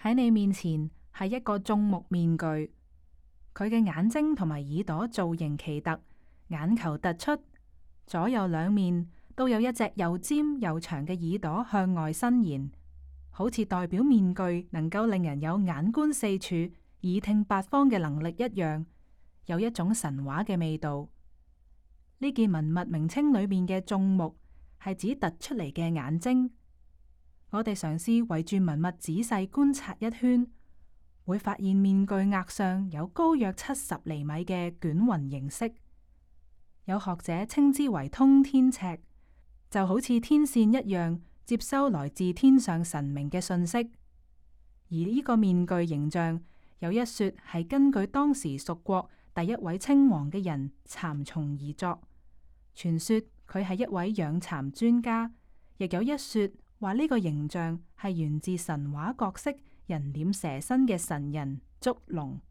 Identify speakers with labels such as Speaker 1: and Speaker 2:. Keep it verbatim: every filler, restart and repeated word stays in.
Speaker 1: 喺你面前係一個眾目面具，佢嘅眼睛同埋耳朵造型奇特，眼球突出，左右兩面都有一隻又尖又長嘅耳朵向外伸延，好似代表面具能夠令人有眼觀四處、耳聽八方嘅能力一樣，有一種神話嘅味道。呢件文物名稱裏面嘅眾目係指突出嚟嘅眼睛。我哋嘗試圍住文物仔細觀察一圈，會發現面具額上有高約七十厘米嘅捲雲形式，有學者稱之為通天尺，就好似天線一樣接收來自天上神明嘅信息。而呢個面具形象有一說係根據當時蜀國第一位稱王嘅人蠶叢而作，傳說佢係一位養蠶專家，亦有一說話呢個形象係源自神話角色人臉蛇身嘅神人祝龍。